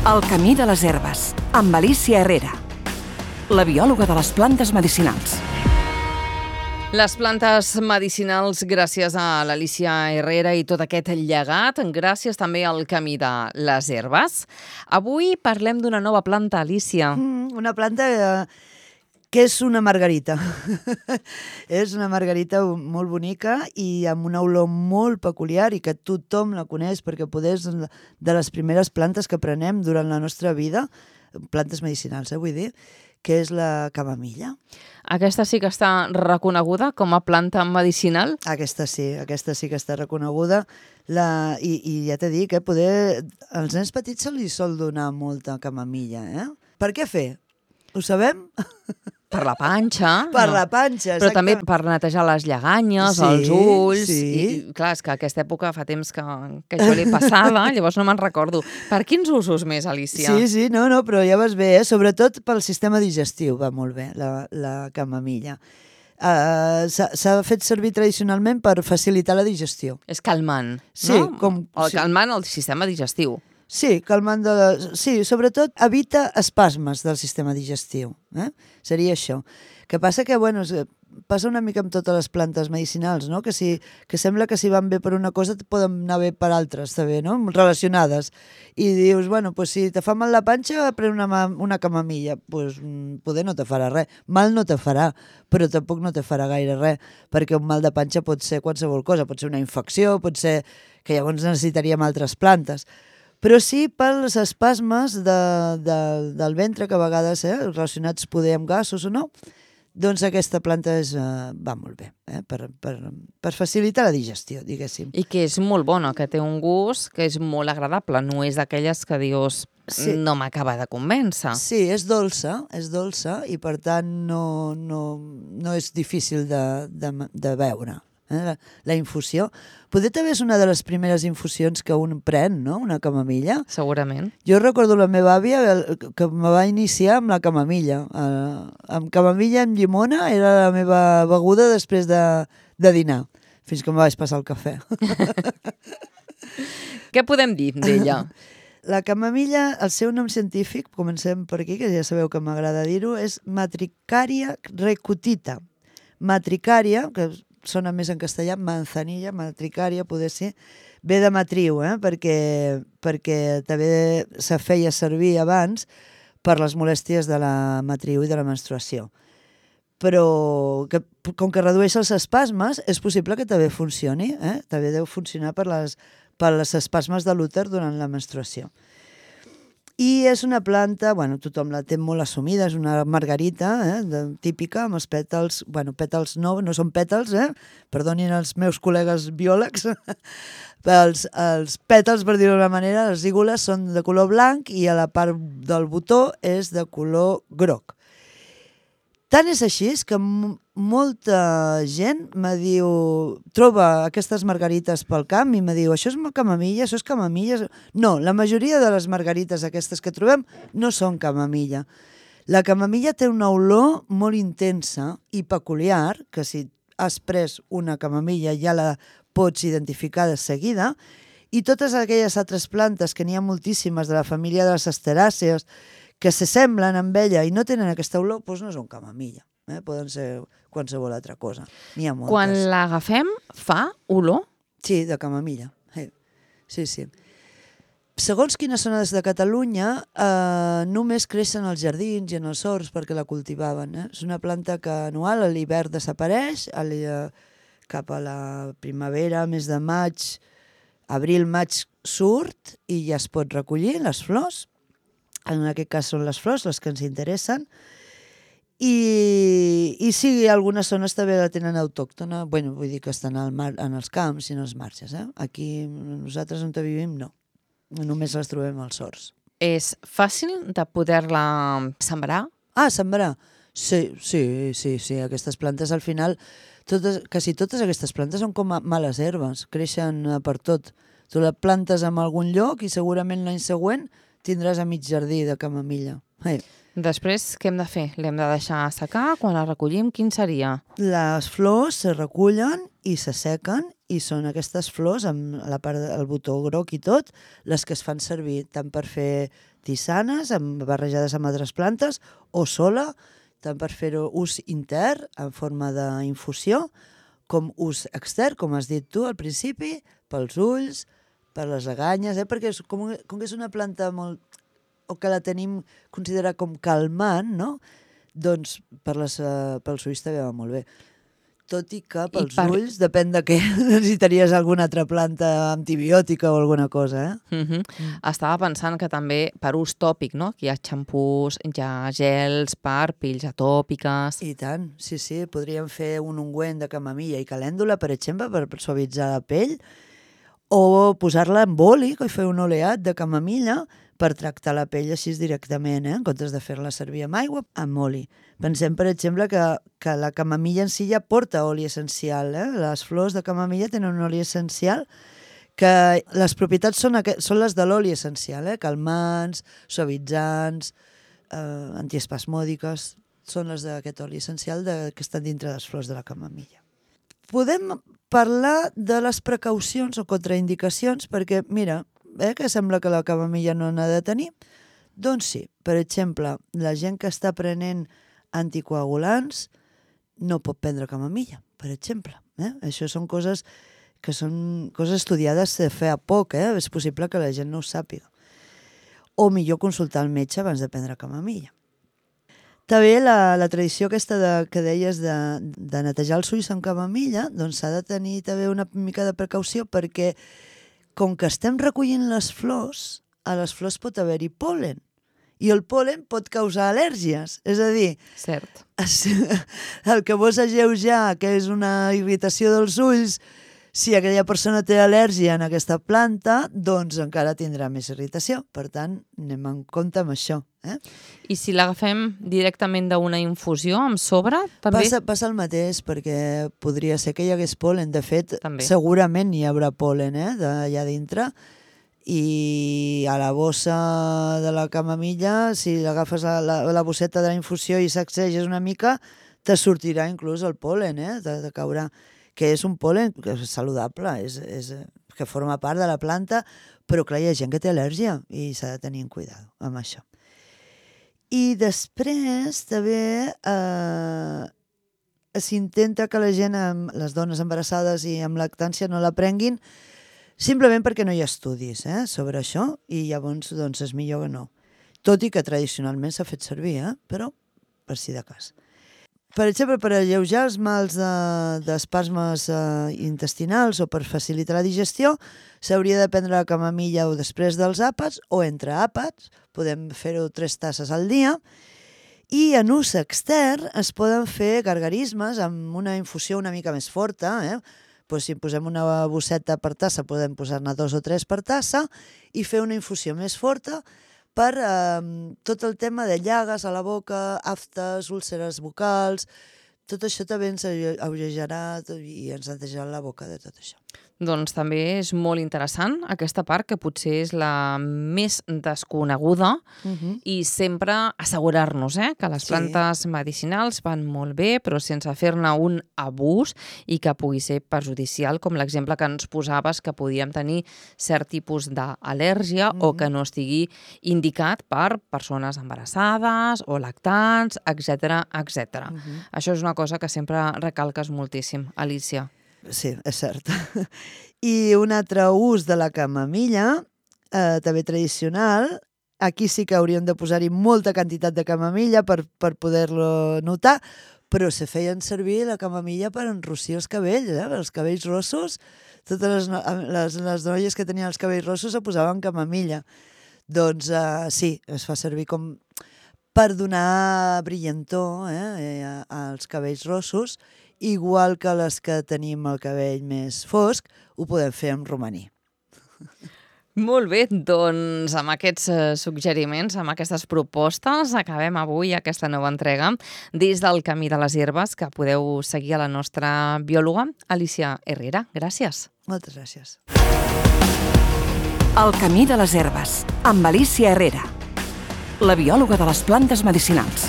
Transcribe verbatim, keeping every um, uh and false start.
El camí de les herbes, amb Alicia Herrera, la biòloga de les plantes medicinals. Les plantes medicinals, gràcies a l'Alicia Herrera i tot aquest llegat, gràcies també al camí de les herbes. Avui parlem d'una nova planta, Alicia. Mm, una planta eh, que és una margarita. És una margarita molt bonica i amb una olor molt peculiar i que tothom la coneix perquè poder és de les primeres plantes que prenem durant la nostra vida, plantes medicinals, eh, vull dir, que és la camamilla. Aquesta sí que està reconeguda com a planta medicinal? Aquesta sí, aquesta sí que està reconeguda. La, i, I ja t'he dit que poder, als nens petits se li sol donar molta camamilla. Eh? Per què fer? Ho sabem? Per la panxa. Per no. la panxa, Però exactament. també per netejar les lleganyes, Sí, els ulls. sí. I, I clar, és que aquesta època fa temps que, que jo l'he passada, llavors no me'n recordo. Per quins usos més, Alicia? Sí, sí, no, no, però ja vas bé, eh? Sobretot pel sistema digestiu va molt bé, la, la camamilla. Uh, s'ha fet servir tradicionalment per facilitar la digestió. És calmant, Sí, no? com- O sí. calmant el sistema digestiu. Sí, calmant de la... Sí, sobretot evita espasmes del sistema digestiu. Eh? Seria això. Que passa que, bueno, es- passa una mica amb totes les plantes medicinals, no? Que, si, que sembla que si van bé per una cosa poden anar bé per altres, també, no? Relacionades. I dius, bueno, pues si te fa mal la panxa, pren una, ma- una camamilla. Pues mm, poder no te farà res. Mal no te farà, però tampoc no te farà gaire res, perquè un mal de panxa pot ser qualsevol cosa. Pot ser una infecció, pot ser que llavors necessitaríem altres plantes. Però sí pels espasmes de, de, del ventre, que a vegades, eh, relacionats poder amb gasos o no, doncs aquesta planta és, eh, va molt bé, eh, per, per, per facilitar la digestió, diguéssim. I que és molt bona, que té un gust que és molt agradable. No és d'aquelles que dius, Sí. no m'acaba de convèncer. Sí, és dolça, és dolça i per tant no, no, no és difícil de, de, de veure. Eh? La, la infusió. Poder també és una de les primeres infusions que un pren, no?, una camamilla. Segurament. Jo recordo la meva àvia el- que me va iniciar amb la camamilla. Eh, amb camamilla amb llimona era la meva beguda després de, de dinar, fins que me vaig passar el cafè. Què podem dir d'ella? La camamilla, el seu nom científic, comencem per aquí, que ja sabeu que m'agrada dir-ho, és Matricaria recutita. Matricaria, que sona més en castellà, manzanilla, matricaria, poder ser, ve de matriu, eh? perquè, perquè també se feia servir abans per les molèsties de la matriu i de la menstruació. Però que, com que redueix els espasmes, és possible que també funcioni, eh? també deu funcionar per les, per les espasmes de l'úter durant la menstruació. I és una planta, bueno, tothom la té molt assumida, és una margarita eh, de, típica, amb els pètals, bueno, pètals no, no són pètals, eh? Perdonin els meus col·legues biòlegs, els, els pètals, per dir-ho d'una manera, les lígules són de color blanc i a la part del botó és de color groc. Tant és així que m- molta gent me diu, troba aquestes margarites pel camp i me diu, això és camamilla, això és camamilla. No, la majoria de les margarites aquestes que trobem no són camamilla. La camamilla té una olor molt intensa i peculiar, que si has pres una camamilla ja la pots identificar de seguida, i totes aquelles altres plantes, que n'hi ha moltíssimes de la família de les asteràcees, que s'assemblen amb ella i no tenen aquesta olor, doncs no són camamilla. Eh? Poden ser qualsevol altra cosa. N'hi ha moltes. Quan l'agafem, fa olor? Sí, de camamilla. Eh. Sí, sí. Segons quines zones de Catalunya, eh, només creixen als jardins i en els horts perquè la cultivaven. Eh? És una planta que anual, a l'hivern desapareix, a cap a la primavera, mes de maig, abril-maig surt i ja es pot recollir les flors. En aquest cas són les flors les que ens interessen. I, i sí, algunes zones també la tenen autòctona, bueno, vull dir que estan al mar, en els camps i en els marges. Eh? Aquí nosaltres on vivim no, només les trobem als horts. És fàcil de poder-la sembrar? Ah, sembrar? Sí, sí, sí, sí, aquestes plantes al final, totes, quasi totes aquestes plantes són com a males herbes, creixen eh, per tot. Tu la plantes en algun lloc i segurament l'any següent tindràs a mig jardí de camamilla. Eh. Després, què hem de fer? L'hem de deixar assecar? Quan la recollim, quin seria? Les flors se recullen i s'assequen i són aquestes flors amb la part del botó groc i tot les que es fan servir tant per fer tisanes amb, barrejades amb altres plantes o sola, tant per fer-ho ús intern en forma d'infusió com ús extern, com has dit tu al principi, pels ulls, per les aganyes, eh? Perquè és, com, com que és una planta molt... o que la tenim considerada com calmant, no? Doncs per les, uh, pels ulls també va molt bé. Tot i que pels I per... ulls, depèn de què, necessitaries alguna altra planta antibiòtica o alguna cosa, eh? Uh-huh. Mm. Estava pensant que també per ús tòpic, no? Que hi ha xampús, hi ha gels per pells atòpiques... I tant, sí, sí. Podríem fer un ungüent de camamilla i calèndula, per exemple, per suavitzar la pell, o posar-la en boli, i fer un oleat de camamilla per tractar la pell així directament, eh? En comptes de fer-la servir amb aigua, amb oli. Pensem, per exemple, que, que la camamilla en si ja porta oli essencial. Eh? Les flors de camamilla tenen un oli essencial que les propietats són, aquest, són les de l'oli essencial, eh? Calmants, suavitzants, eh, antiespasmòdiques, són les d'aquest oli essencial de, que estan dintre les flors de la camamilla. Podem parlar de les precaucions o contraindicacions perquè, mira, eh, que sembla que la camamilla no n'ha de tenir. Doncs sí, per exemple, la gent que està prenent anticoagulants no pot prendre camamilla, per exemple. Eh? Això són coses que són coses estudiades de fer a poc, eh? És possible que la gent no ho sàpiga. O millor consultar el metge abans de prendre camamilla. També la, la tradició aquesta de, que deies de, de netejar els ulls amb camamilla, doncs s'ha de tenir també una mica de precaució perquè com que estem recollint les flors, a les flors pot haver-hi pol·len. I el pol·len pot causar al·lèrgies. És a dir, Cert. el que vols alleujar, que és una irritació dels ulls, si aquella persona té al·lèrgia en aquesta planta, doncs encara tindrà més irritació. Per tant, anem en compte amb això. Eh? I si l'agafem directament d'una infusió amb sobre, també? Passa, passa el mateix, perquè podria ser que hi hagués pol·len. De fet, també. Segurament hi haurà pol·len eh, d'allà dintre, i a la bossa de la camamilla, si agafes la, la, la bosseta de la infusió i sacseges una mica, te sortirà inclús el pol·len, eh, de, de caurà, que és un pol·len que és saludable, és, és, que forma part de la planta, però clar, hi ha gent que té al·lèrgia i s'ha de tenir en cuidado amb això. I després també eh, s'intenta que la gent, les dones embarassades i amb lactància, no la prenguin simplement perquè no hi ha estudis eh, sobre això i llavors doncs, és millor que no. Tot i que tradicionalment s'ha fet servir, eh, però per si de cas. Per exemple, per alleujar els mals d'espasmes de, eh, intestinals o per facilitar la digestió, s'hauria de prendre la camamilla o després dels àpats o entre àpats, podem fer-ho tres tasses al dia, i en ús extern es poden fer gargarismes amb una infusió una mica més forta, eh? Pues si posem una bosseta per tassa, podem posar-ne dos o tres per tassa i fer una infusió més forta per eh, tot el tema de llagues a la boca, aftes, úlceres vocals, tot això també ens alleujarà i ens netejarà la boca de tot això. Doncs també és molt interessant aquesta part, que potser és la més desconeguda uh-huh. i sempre assegurar-nos eh, que les plantes sí. medicinals van molt bé, però sense fer-ne un abús i que pugui ser perjudicial, com l'exemple que ens posaves, que podíem tenir cert tipus d'al·lèrgia uh-huh. o que no estigui indicat per persones embarassades o lactants, etcètera, etcètera. Uh-huh. Això és una cosa que sempre recalques moltíssim, Alicia. Sí, és cert. I un altre ús de la camamilla, eh, també tradicional, aquí sí que hauríem de posar-hi molta quantitat de camamilla per, per poder-lo notar, però se feien servir la camamilla per enrossir els cabells, eh? Els cabells rossos, totes les, les, les noies que tenien els cabells rossos se posaven camamilla. Doncs eh, sí, es fa servir com per donar brillantor eh, als cabells rossos, igual que les que tenim el cabell més fosc, ho podem fer amb romaní. Molt bé, doncs amb aquests suggeriments, amb aquestes propostes, acabem avui aquesta nova entrega des del Camí de les Herbes, que podeu seguir a la nostra biòloga, Alicia Herrera. Gràcies. Moltes gràcies. El Camí de les Herbes, amb Alicia Herrera, la biòloga de les plantes medicinals.